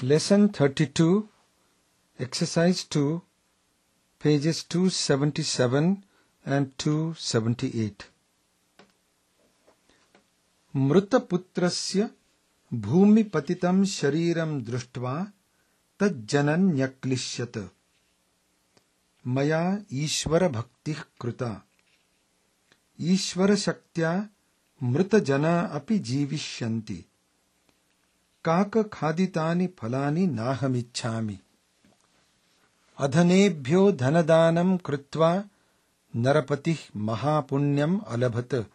Lesson 32, Exercise 2, pages 277 and 278. मृतपुत्रस्य भूमिपतितं शरीरं दृष्ट्वा तज्जनन्यक्लिश्यत। मया ईश्वरभक्तिः कृता। ईश्वरशक्त्या मृतजना अपि जीविष्यन्ति। काकखादितानि फलानि नाहमिच्छामि। अधनेभ्यो धनदानं कृत्वा नरपतिः महापुण्यम् अलभत।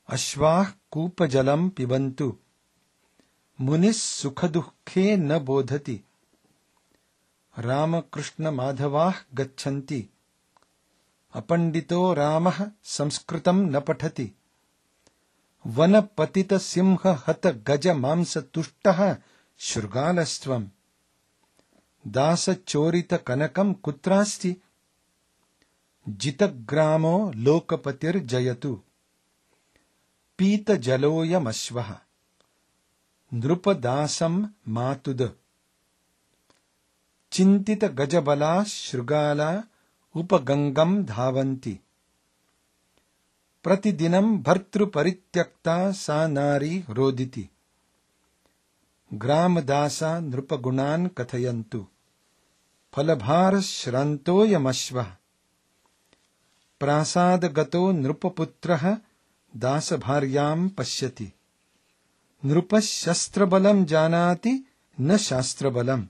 अश्वाः कूपजलं पिबन्तु। मुनिः सुखदुःखे न बोधति। रामकृष्णमाधवाः गच्छन्ति। अपण्डितो रामः संस्कृतं न पठति। वनपतितसिंहहतगजमांसतुष्टः शृगालस्त्वम्। दासचोरितकनकं कुत्रास्ति। जितग्रामो लोकपतिर्जयतु। पीतजलोऽयमश्वः। नृपदासं मातुद। चिन्तितगजबलाः शृगाला उपगङ्गं धावन्ति। प्रतिदिनं भर्तृपरित्यक्ता सा नारी रोदिति। ग्रामदासा नृपगुणान् कथयन्तु। फलभारश्रान्तोऽयमश्वः। प्रासादगतो नृपपुत्रः दासभार्यां पश्यति। नृपः शस्त्रबलं जानाति न शास्त्रबलम्।